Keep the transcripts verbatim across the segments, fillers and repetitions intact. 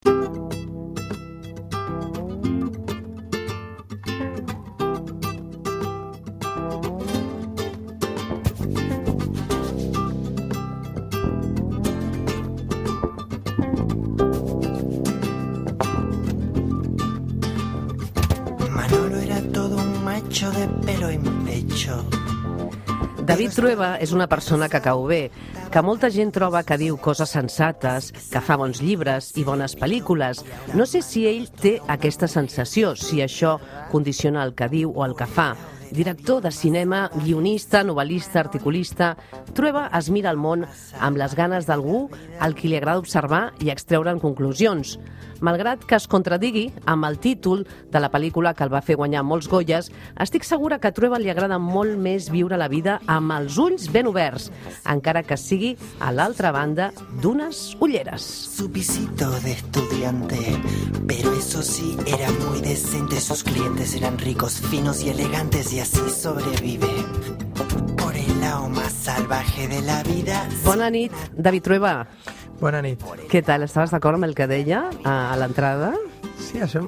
De pelo en pecho. David Trueba és una persona que cau bé, que molta gent troba que diu coses sensates, que fa bons llibres i bones pel·lícules. No sé si ell té aquesta sensació, si això condiciona el que diu o el que fa. Director de cinema, guionista, novel·lista, articulista, Trueba es mira al món amb les ganes d'algú al qui li agrada observar i extreure'n conclusions. Malgrat que es contradigui amb el títol de la pel·lícula que el va fer guanyar molts Goyes, estic segura que a Trueba li agrada molt més viure la vida amb els ulls ben oberts, encara que sigui a l'altra banda d'unes ulleres. Su pisito de estudiante, pero eso sí, era muy decente. Sus clientes eran ricos, finos y elegantes, y así sobrevive por el lado más salvaje de la vida. Bona nit, David Trueba. Bona nit. Què tal? Estaves d'acord amb el que deia a, a l'entrada? Sí, això,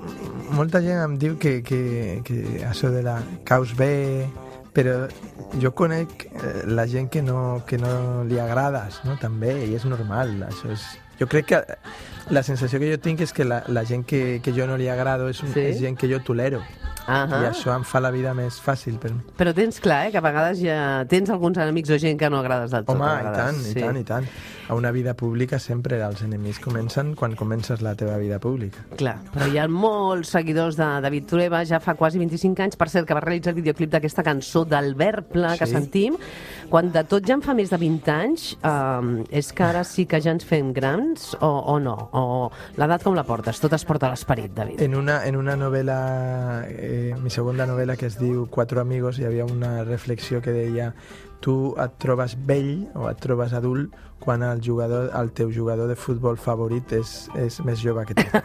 molta gent em diu que, que, que això de la caus bé, però jo conec la gent que no, que no li agrades, no? També, i és normal. Això és... Jo crec que la sensació que jo tinc és que la, la gent que, que jo no li agrado és, sí? és gent que jo tolero. Uh-huh. I això em fa la vida més fàcil per mi. Però tens clar, eh, que a vegades ja tens alguns enemics o gent que no agrades del tot. Home, i tant, sí. i tant, i tant. A una vida pública sempre els enemics comencen quan comences la teva vida pública. Clar, però hi ha molts seguidors de David Trueba, ja fa quasi vint-i-cinc anys, per cert, que va realitzar el videoclip d'aquesta cançó del Verble que sí. sentim. Quan de tot ja en fa més de vint anys, eh, és que ara sí que ja ens fem grans o, o no? O l'edat com la portes? Tot es porta a l'esperit, David. En una, en una novel·la, eh, mi segona novel·la, que es diu Cuatro amigos, hi havia una reflexió que deia: tu et trobes vell o et trobes adult quan el, jugador, el teu jugador de futbol favorit és, és més jove que tu.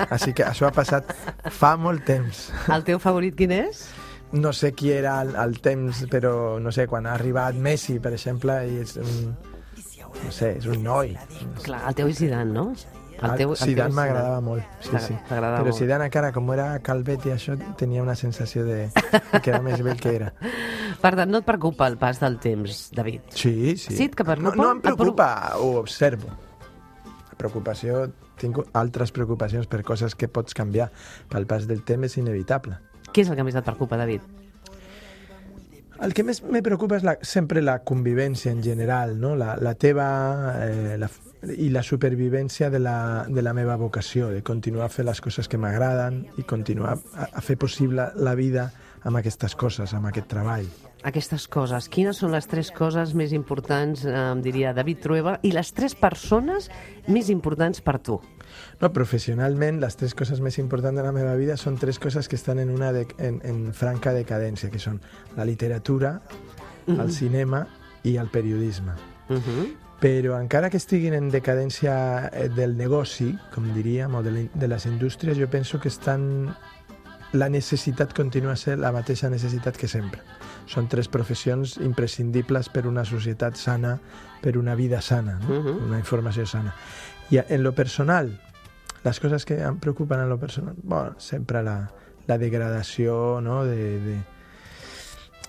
Així que això ha passat fa molt temps. El teu favorit quin és? No sé qui era al, al temps, però no sé, quan ha arribat Messi, per exemple, i és un, no sé, és un noi. Clar, el teu és Zidane, no? El teu, el Zidane m'agradava molt, sí, sí. Però molt. Zidane encara, com era calvet i això, tenia una sensació de que era més vell que era. Per tant, no et preocupa el pas del temps, David? Sí, sí. Sí, et preocupa? No, no em preocupa, ho observo. La preocupació, tinc altres preocupacions per coses que pots canviar. Pel pas del temps és inevitable. Què és el que més et preocupa, David? El que més me preocupa és la, sempre la convivència en general, no? La, la teva eh, la, i la supervivència de la, de la meva vocació, de continuar a fer les coses que m'agraden i continuar a, a fer possible la vida amb aquestes coses, amb aquest treball. Aquestes coses. Quines són les tres coses més importants, eh, em diria David Trueba, i les tres persones més importants per tu? No, professionalment, les tres coses més importants de la meva vida són tres coses que estan en una de, en, en franca decadència, que són la literatura, uh-huh. el cinema i el periodisme. Uh-huh. Però encara que estiguin en decadència del negoci, com diríem, o de, de les indústries, jo penso que estan... la necessitat continua a ser la mateixa necessitat que sempre. Són tres professions imprescindibles per una societat sana, per una vida sana, no? Uh-huh. Una informació sana. I en lo personal, les coses que em preocupen en lo personal, bueno, sempre la, la degradació, no? de, de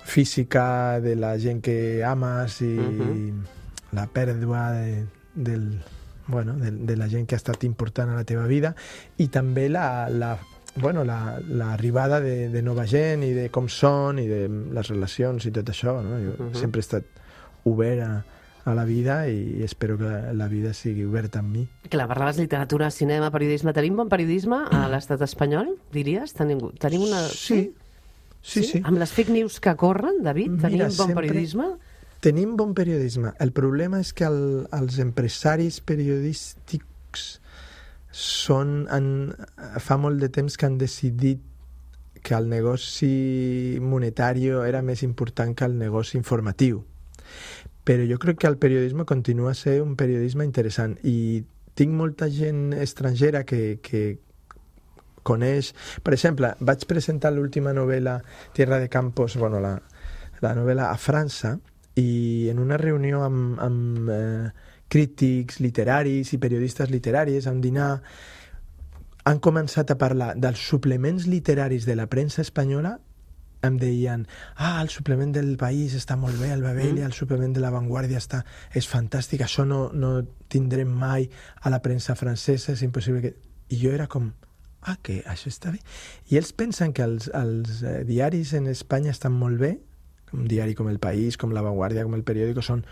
física de la gent que ames i uh-huh. la pèrdua de, del, bueno, de, de la gent que ha estat important a la teva vida, i també la, la bueno, l'arribada la, de, de nova gent i de com són i de les relacions i tot això, no? Jo uh-huh. sempre he estat obert a, a la vida i espero que la vida sigui oberta amb mi. Clar, parlaves de literatura, cinema, periodisme. Tenim bon periodisme a l'estat espanyol, diries? Tenim, tenim una... Sí. Sí, sí, sí. Amb les fake news que corren, David, tenim Mira, bon periodisme? Tenim bon periodisme. El problema és que el, els empresaris periodístics són, han, fa molt de temps que han decidit que el negoci monetari era més important que el negoci informatiu. Però jo crec que el periodisme continua a ser un periodisme interessant i tinc molta gent estrangera que, que coneix... Per exemple, vaig presentar l'última novel·la Tierra de Campos, bueno, la, la novel·la a França, i en una reunió amb... amb eh, crítics literaris i periodistes literaris, a un dinar, han començat a parlar dels suplements literaris de la premsa espanyola, em deien, ah, el suplement del País està molt bé, el Babelia, el suplement de La Vanguardia està, és fantàstic, això no, no tindrem mai a la premsa francesa, és impossible que... I jo era com, ah, que això està bé. I ells pensen que els, els eh, diaris en Espanya estan molt bé, un diari com El País, com La Vanguardia, com El Periódico, són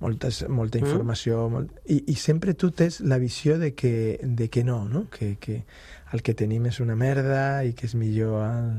moltes, molta informació, mm. molt... I, i sempre tu tens la visió de que, de que no, no? Que, que el que tenim és una merda i que és millor el,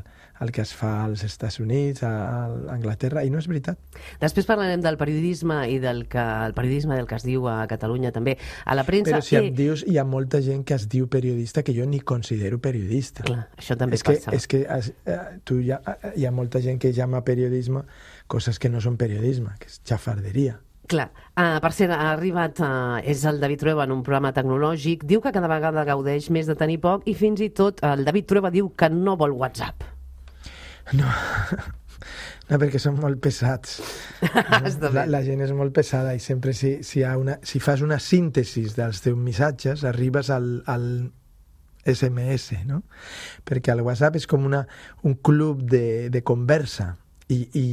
el que es fa als Estats Units, a, a Anglaterra, i no és veritat. Després parlarem del periodisme i del que, el periodisme del que es diu a Catalunya també. A la premsa... Però si em dius, hi ha molta gent que es diu periodista que jo ni considero periodista. Clar, això també és que, passa. És que es, eh, tu hi ha, hi ha molta gent que llama periodisme coses que no són periodisme, que és xafarderia. Clar. Uh, per cert, ha arribat, uh, és el David Trueba en un programa tecnològic, diu que cada vegada gaudeix més de tenir poc i fins i tot el David Trueba diu que no vol WhatsApp. No, no perquè són molt pesats. No? La, la gent és molt pesada i sempre si, si, hi ha una, si fas una síntesi dels teus missatges arribes al, al esse eme esse, no? Perquè el WhatsApp és com una, un club de, de conversa. I, i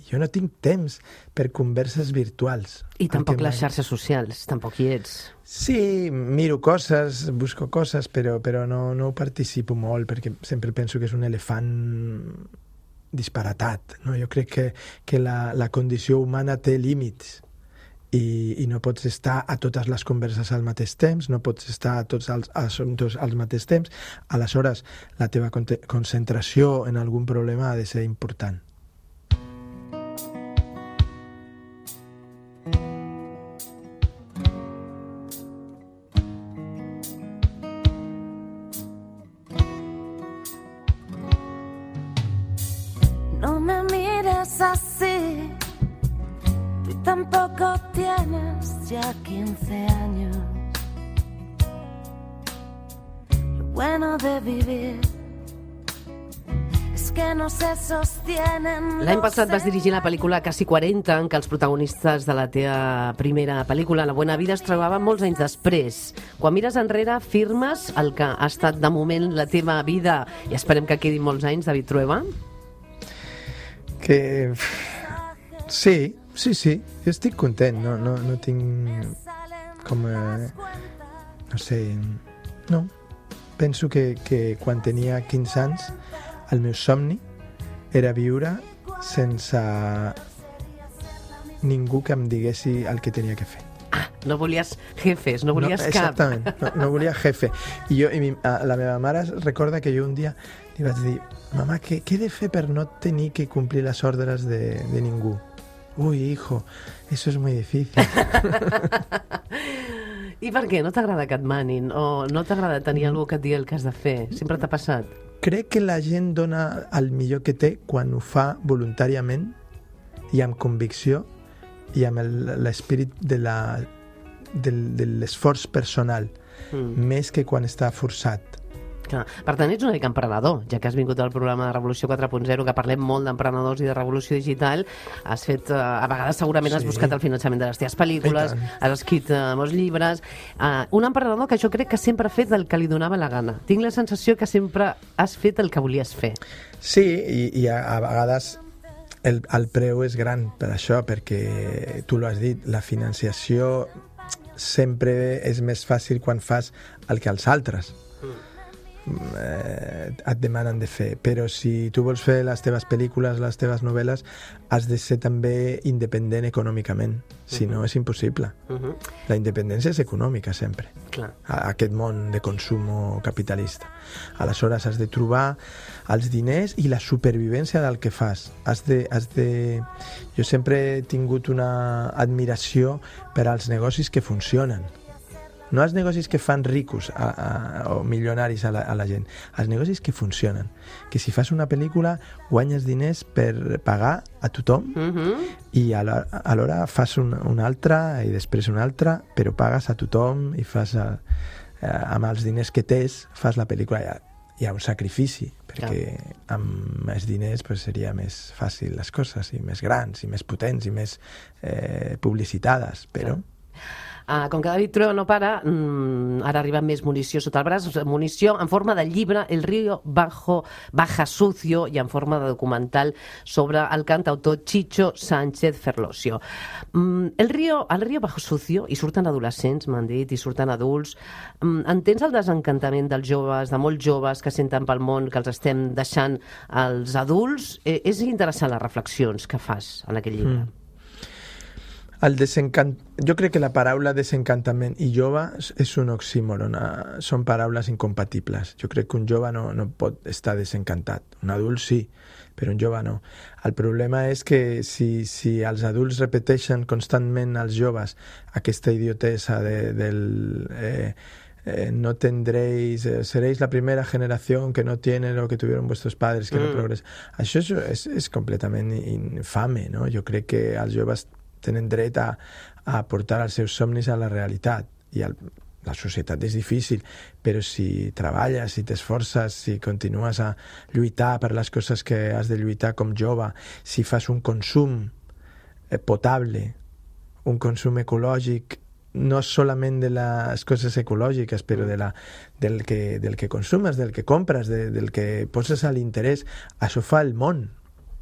jo no tinc temps per converses virtuals. I tampoc les xarxes socials, tampoc hi ets. Sí, miro coses, busco coses, però, però no, no participo molt, perquè sempre penso que és un elefant disparatat. No? Jo crec que, que la, la condició humana té límits i, i no pots estar a totes les converses al mateix temps, no pots estar a tots els assumptes al mateix temps. Aleshores, la teva concentració en algun problema ha de ser important. Así, tú tampoco tienes ya quince años. Lo bueno de vivir es que no se sostienen. L'any passat vas dirigir la pel·lícula Casi quaranta, en què els protagonistes de la teva primera pel·lícula, La Buena Vida, es trobaven molts anys després. Quan mires enrere, firmes el que ha estat de moment la teva vida, i esperem que quedi molts anys, David Trueba? Que... Sí, sí, sí, jo estic content, no, no, no tinc com, eh, no sé, no, penso que, que quan tenia quinze anys el meu somni era viure sense ningú que em diguessi el que tenia que fer. Ah, no volies jefes, no volies no, cap. Exactament, no, no volia jefe. I jo, i mi, la meva mare recorda que jo un dia li vaig dir, mamà, què, què he de fer per no tenir que complir les ordres de, de ningú? Uy, hijo, eso es muy difícil. I per què? No t'agrada que et manin? O no t'agrada tenir algú que et digui el que has de fer? Sempre t'ha passat? Crec que la gent dona el millor que té quan ho fa voluntàriament i amb convicció i amb l'esperit de la, del, de l'esforç personal, mm. més que quan està forçat. Clar. Per tant, ets una mica emprenedor, ja que has vingut al programa de Revolució quatre punt zero, que parlem molt d'emprenedors i de revolució digital. Has fet, a vegades segurament has sí. buscat el finançament de les teves pel·lícules, has escrit uh, molts llibres. Uh, un emprenedor que jo crec que sempre ha fet el que li donava la gana. Tinc la sensació que sempre has fet el que volies fer. Sí, i, i a, a vegades el, el preu és gran per això, perquè tu l'has dit, la financiació sempre és més fàcil quan fas el que els altres eh, et demanen de fer, però si tu vols fer les teves pel·lícules, les teves novel·les, has de ser també independent econòmicament, si no és impossible. Uh-huh. La independència és econòmica sempre. Clar. A aquest món de consum capitalista. Aleshores has de trobar els diners i la supervivència del que fas. Has de, has de... Jo sempre he tingut una admiració per als negocis que funcionen. No els negocis que fan ricos a, a, o milionaris a la, a la gent, els negocis que funcionen. Que si fas una pel·lícula guanyes diners per pagar a tothom uh-huh. i alhora fas una, una altra i després una altra, però pagues a tothom i fas a, a, amb els diners que tens fas la pel·lícula. Hi ha, hi ha un sacrifici, perquè yeah. amb més diners pues, seria més fàcil les coses, i més grans, i més potents, i més eh, publicitades, però... Yeah. Uh, com que David Trueba no para, mm, ara arriba més munició sota el braç, munició en forma de llibre, El río Bajo, Baja Sucio, i en forma de documental sobre el cantautor Chicho Sánchez Ferlosio. Mm, el, río, el río Bajo Sucio, i surten adolescents, m'han dit, i surten adults. Mm, entens el desencantament dels joves, de molts joves que senten pel món que els estem deixant als adults? Eh, és interessant les reflexions que fas en aquell llibre. Mm. El desencant... Jo crec que la paraula desencantament i jove és un oxímoron, són paraules incompatibles. Jo crec que un jove no, no pot estar desencantat. Un adult sí, però un jove no. El problema és que si, si els adults repeteixen constantment als joves aquesta idiotesa de, del... Eh, Eh, no tendréis, eh, seréis la primera generación que no tiene lo que tuvieron vuestros padres, que mm. no progresa. Això és, és, és completament infame, no? Jo crec que els joves tenen dret a, a portar els seus somnis a la realitat, i el, la societat és difícil, però si treballes, si t'esforces, si continues a lluitar per les coses que has de lluitar com jove, si fas un consum eh, potable, un consum ecològic, no solament de les coses ecològiques, però de la, del, que, del que consumes, del que compres, de, del que poses a l'interès, això fa el món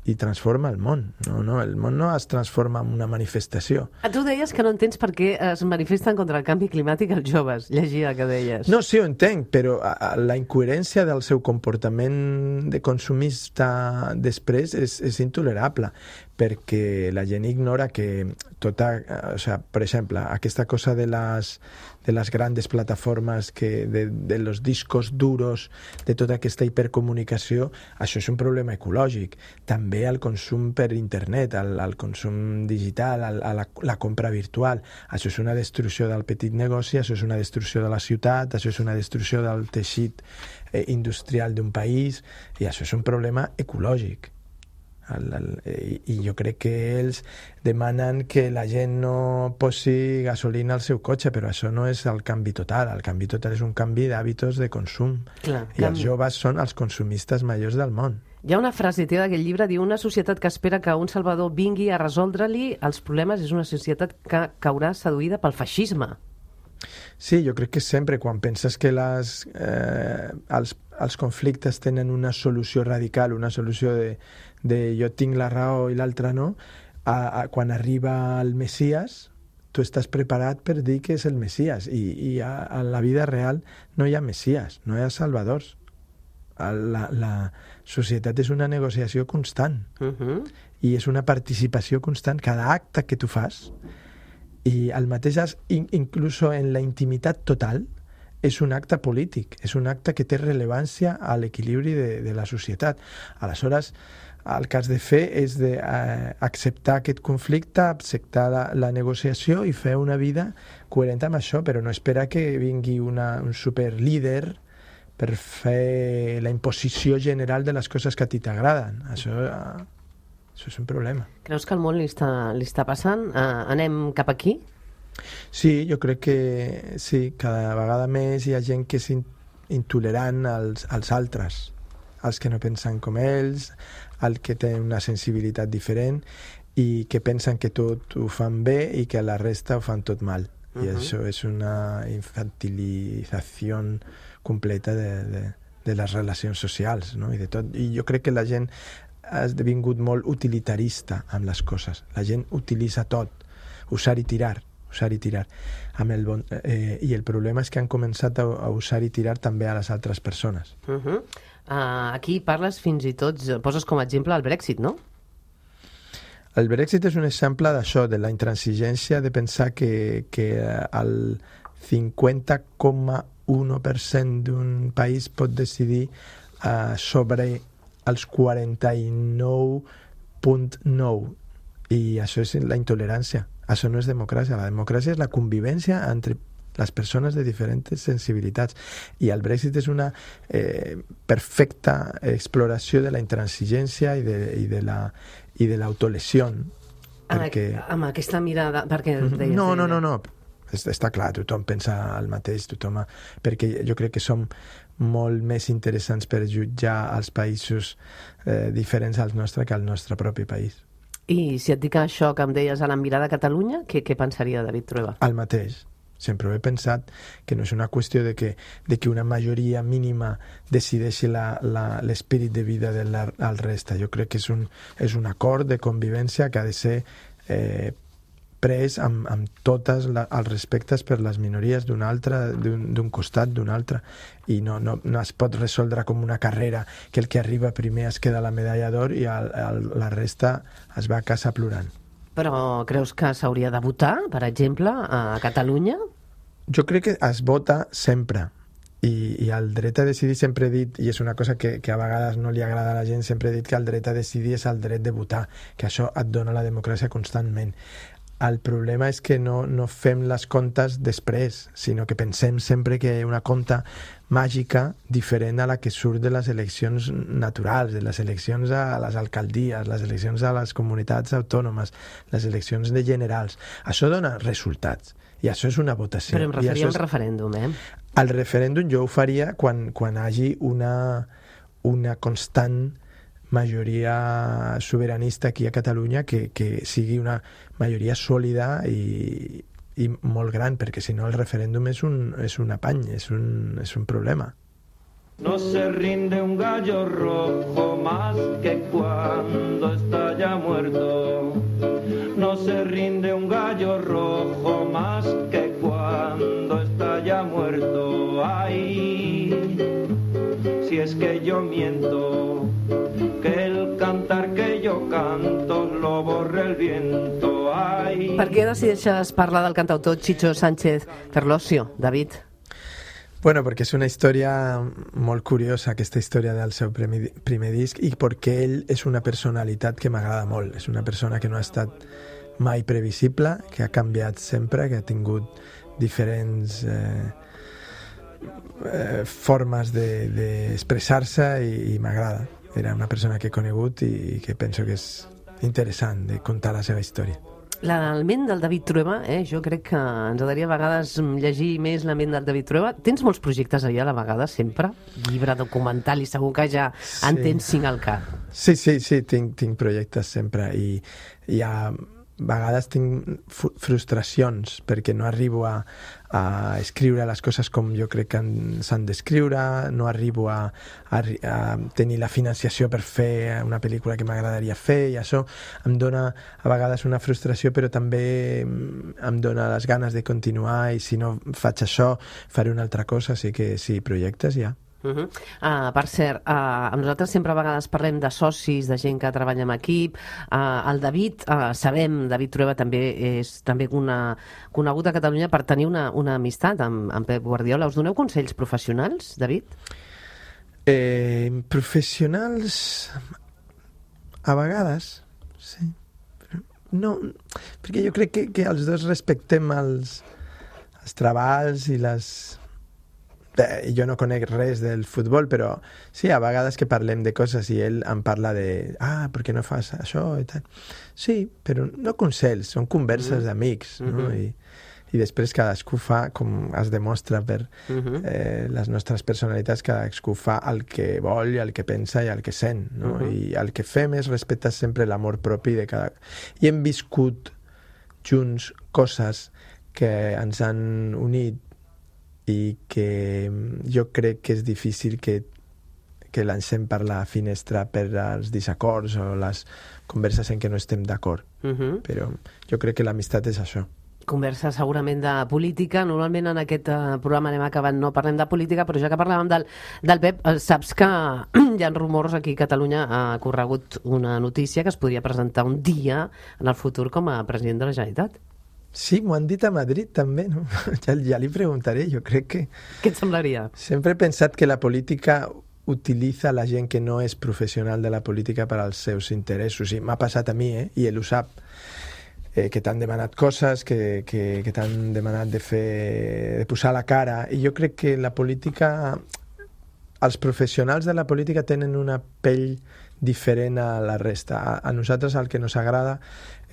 i transforma el món. No, no, el món no es transforma en una manifestació. Tu deies que no entens per què es manifesten contra el canvi climàtic els joves. Llegia que deies. No, sí, ho entenc, però la incoherència del seu comportament de consumista després és, és intolerable, perquè la gent ignora que tota... O sea, per exemple, aquesta cosa de les, de les grandes plataformes, que de, de los discos duros, de tota aquesta hipercomunicació, això és un problema ecològic. També el consum per internet, el, el consum digital, el, la, la compra virtual. Això és una destrucció del petit negoci, això és una destrucció de la ciutat, això és una destrucció del teixit eh, industrial d'un país, i això és un problema ecològic. El, el, i jo crec que ells demanen que la gent no posi gasolina al seu cotxe, però això no és el canvi total. El canvi total és un canvi d'hàbits de consum. Clar, i canvi. Els joves són els consumistes majors del món. Hi ha una frase teva d'aquest llibre, diu: una societat que espera que un salvador vingui a resoldre-li els problemes és una societat que caurà seduïda pel feixisme. Sí, jo crec que sempre quan penses que les, eh, els, els conflictes tenen una solució radical, una solució de, de jo tinc la raó i l'altre no, a, a, quan arriba el Messias, tu estàs preparat per dir que és el Messias, i, i a, a la vida real no hi ha Messias, no hi ha salvadors. La, la societat és una negociació constant, uh-huh. i és una participació constant. Cada acte que tu fas, i el mateix, inclús en la intimitat total, és un acte polític, és un acte que té rellevància a l'equilibri de, de la societat. Aleshores, el que has de fer és de, eh, acceptar aquest conflicte, acceptar la, la negociació i fer una vida coherent amb això, però no esperar que vingui una, un superlíder per fer la imposició general de les coses que a ti t'agraden. Això... Eh, Això és un problema. Creus que el món li està, li està passant? Uh, anem cap aquí? Sí, jo crec que sí. Cada vegada més hi ha gent que és intolerant als, als altres, als que no pensen com ells, al que tenen una sensibilitat diferent i que pensen que tot ho fan bé i que la resta ho fan tot mal. Uh-huh. I això és una infantilització completa de, de, de les relacions socials, no? I, de tot. I jo crec que la gent ha esdevingut molt utilitarista amb les coses. La gent utilitza tot, usar i tirar, usar i tirar. Amb el bon, eh, I el problema és que han començat a, a usar i tirar també a les altres persones. Uh-huh. uh, aquí parles fins i tot, poses com a exemple el Brexit, no? El Brexit és un exemple d'això, de la intransigència de pensar que, que el cinquanta coma u per cent d'un país pot decidir uh, sobre als quaranta-nou coma nou, i això és la intolerància. Això no és democràcia. La democràcia és la convivència entre les persones de diferents sensibilitats, i el Brexit és una eh, perfecta exploració de la intransigència i de, i de la i de l'autolesió. Perquè... Amb aquesta mirada... Perquè deies, no, no, no, no. Està clar, tothom pensa el mateix, tothom... Perquè jo crec que som molt més interessants per jutjar els països eh, diferents al nostre que al nostre propi país. I si et dic això que em deies a la mirada a Catalunya, què, què pensaria David Trueba? El mateix. Sempre ho he pensat, que no és una qüestió de que, de que una majoria mínima decideixi la, la, l'espírit de vida de la, la resta. Jo crec que és un, és un acord de convivència que ha de ser eh, pres amb, amb tots els respectes per les minories d'un altre, d'un, d'un costat, d'un altre, i no, no, no es pot resoldre com una carrera que el que arriba primer es queda la medalla d'or i el, el, la resta es va a casa plorant. Però creus que s'hauria de votar, per exemple, a Catalunya? Jo crec que es vota sempre. I, i el dret a decidir, sempre he dit, i és una cosa que, que a vegades no li agrada a la gent, sempre he dit que el dret a decidir és el dret de votar, que això et dona la democràcia constantment. El problema és que no, no fem les comptes després, sinó que pensem sempre que una compta màgica diferent a la que surt de les eleccions naturals, de les eleccions a les alcaldies, les eleccions a les comunitats autònomes, les eleccions de generals. Això dona resultats, i això és una votació. Però em referia a un és... referèndum, eh? El referèndum jo ho faria quan, quan hagi una, una constant majoria sobiranista aquí a Catalunya que, que sigui una majoria sòlida i, i molt gran, perquè si no el referèndum és un, és un apany, és un, és un problema. No se rinde un gallo rojo más que cuando está ya muerto. No se rinde un gallo rojo más que cuando está ya muerto. Ay, si es que yo miento, que el cantar que yo canto lo borra el viento. Ay. Per què decideixes parlar del cantautor Chicho Sánchez Ferlosio, David? Bueno, perquè és una història molt curiosa, aquesta història del seu primer, primer disc, i perquè ell és una personalitat que m'agrada molt. És una persona que no ha estat mai previsible, que ha canviat sempre, que ha tingut diferents eh, eh, formes d'expressar-se de, de i, i m'agrada. Era una persona que he conegut i que penso que és interessant de contar la seva història. La ment del David Trueba, eh? Jo crec que ens agradaria a vegades llegir més la ment del David Trueba. Tens molts projectes allà a la vegada, sempre? Llibre, documental, i segur que ja sí. En tens cinc al cap. Sí, sí, sí, tinc, tinc projectes sempre i hi ha... A vegades tinc frustracions perquè no arribo a, a escriure les coses com jo crec que s'han d'escriure, no arribo a, a, a tenir la financiació per fer una pel·lícula que m'agradaria fer, i això em dona a vegades una frustració, però també em dona les ganes de continuar, i si no faig això faré una altra cosa, així que sí, projectes ja. Uh -huh. uh, per cert, uh, nosaltres sempre a vegades parlem de socis, de gent que treballa en equip. Uh, el David, uh, sabem, David Trueba també és també una, conegut a Catalunya per tenir una, una amistat amb, amb Pep Guardiola. Us doneu consells professionals, David? Eh, professionals, a vegades, sí. No, perquè jo crec que, que els dos respectem els, els treballs i les... Bé, jo no conec res del futbol, però sí, a vegades que parlem de coses i ell em parla de ah, per què no fas això i tal. Sí, però no consells, són converses mm. d'amics, no? Mm-hmm. I, i després cadascú fa, com es demostra per mm-hmm. eh, les nostres personalitats, cadascú fa el que vol i el que pensa i el que sent, no? Mm-hmm. I el que fem és respectar sempre l'amor propi de cada... I hem viscut junts coses que ens han unit i que jo crec que és difícil que, que lancem per la finestra per als desacords o les converses en què no estem d'acord. Uh-huh. Però jo crec que l'amistat és això. Conversa segurament de política. Normalment en aquest uh, programa anem acabant, no parlem de política, però ja que parlàvem del, del Pep, uh, saps que hi ha rumors aquí a Catalunya, ha corregut una notícia que es podria presentar un dia en el futur com a president de la Generalitat. Sí, m'ho han dit a Madrid també, no? Ja, ja li preguntaré, jo crec que... Què et semblaria? Sempre he pensat que la política utilitza la gent que no és professional de la política per als seus interessos, i m'ha passat a mi, eh? I ell ho sap, eh, que t'han demanat coses, que, que, que t'han demanat de fer, de posar la cara, i jo crec que la política... Els professionals de la política tenen una pell diferent a la resta. A, a nosaltres el que ens agrada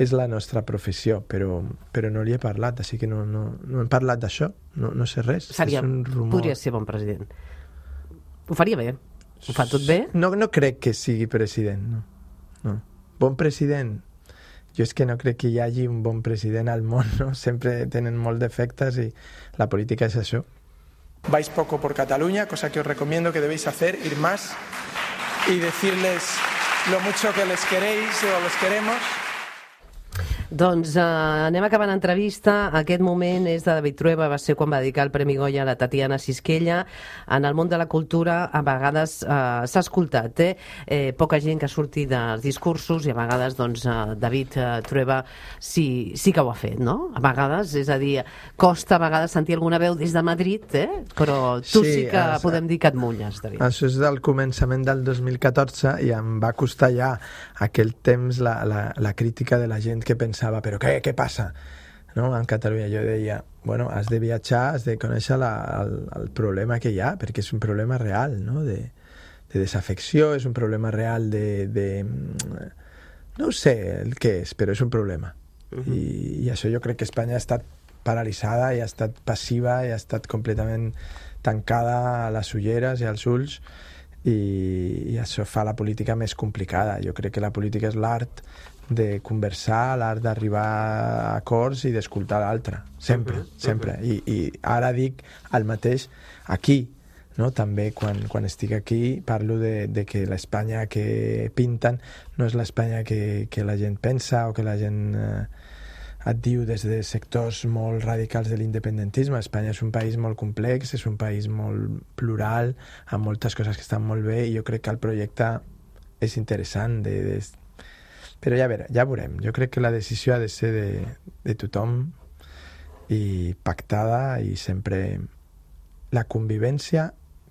és la nostra professió, però, però no li he parlat, així que no, no, no hem parlat d'això, no, no sé res. Seria, és un rumor. Podria ser bon president. Ho faria bé? Ho fa tot bé? No, no crec que sigui president, no. no. Bon president, jo és que no crec que hi hagi un bon president al món, ¿no? Sempre tenen molt defectes y la política es eso. Vais poco por Cataluña, cosa que os recomiendo que debéis hacer, ir más y decirles lo mucho que les queréis o los queremos. Doncs eh, anem acabant l'entrevista. Aquest moment és de David Trueba, va ser quan va dedicar el Premi Goya a la Tatiana Sisquella. En el món de la cultura a vegades eh, s'ha escoltat, eh? eh? Poca gent que surti dels discursos i a vegades doncs, eh, David eh, Trueba sí, sí que ho ha fet, no? A vegades, és a dir, costa a vegades sentir alguna veu des de Madrid, eh? Però tu sí, sí que es, podem dir que et mulles, David. Això és del començament del dos mil catorze i em va costar ja aquell temps la, la, la crítica de la gent que pensava però què, què passa? No? En Catalunya jo deia, bueno, has de viatjar, has de conèixer la, el, el problema que hi ha, perquè és un problema real, no? de, de desafecció, és un problema real de, de... no sé el què és, però és un problema. Uh-huh. I, I això jo crec que Espanya ha estat paralitzada i ha estat passiva i ha estat completament tancada a les ulleres i als ulls i, i això fa la política més complicada. Jo crec que la política és l'art de conversar, l'art d'arribar a acords i d'escoltar l'altre, sempre, uh-huh, sempre. Uh-huh. I, I ara dic el mateix aquí, no? També quan, quan estic aquí parlo de, de que l'Espanya que pinten no és l'Espanya que, que la gent pensa o que la gent eh, et diu des de sectors molt radicals de l'independentisme. Espanya és un país molt complex, és un país molt plural, amb moltes coses que estan molt bé i jo crec que el projecte és interessant de, de però ja, veure, ja veurem. Jo crec que la decisió ha de ser de, de tothom i pactada i sempre la convivència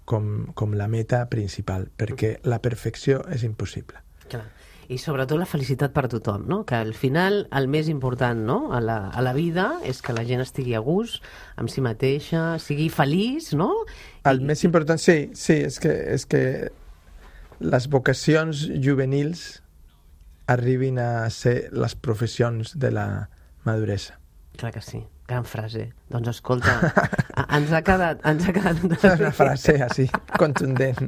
com, com la meta principal, perquè la perfecció és impossible. Clar. I sobretot la felicitat per a tothom, no? Que al final el més important, no? a, la, a la vida és que la gent estigui a gust amb si mateixa, sigui feliç, no? El I, més important, sí, sí, és que, és que les vocacions juvenils arribin a ser les professions de la maduresa. Clar que sí, gran frase. Doncs escolta, ens ha quedat... Ens ha quedat... Una frase així, contundent.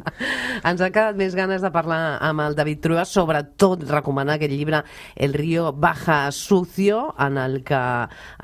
Ens ha quedat més ganes de parlar amb el David Trueba, sobretot recomanar aquest llibre El río baja sucio, en el que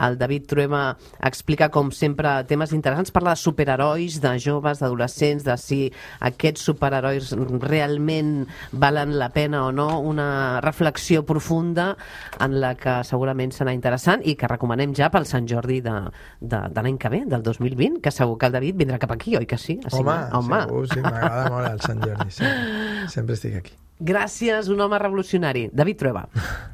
el David Trueba explica, com sempre, temes interessants, parla de superherois, de joves, d'adolescents, de si aquests superherois realment valen la pena o no, una reflexió profunda en la que segurament serà interessant i que recomanem ja pel Sant Jordi de, de, de l'any que ve, del dos mil vint, que segur que el David vindrà cap aquí, oi que sí? A home, home, segur, sí, m'agrada molt el Sant Jordi, sempre, sempre estic aquí. Gràcies, un home revolucionari. David Trueba.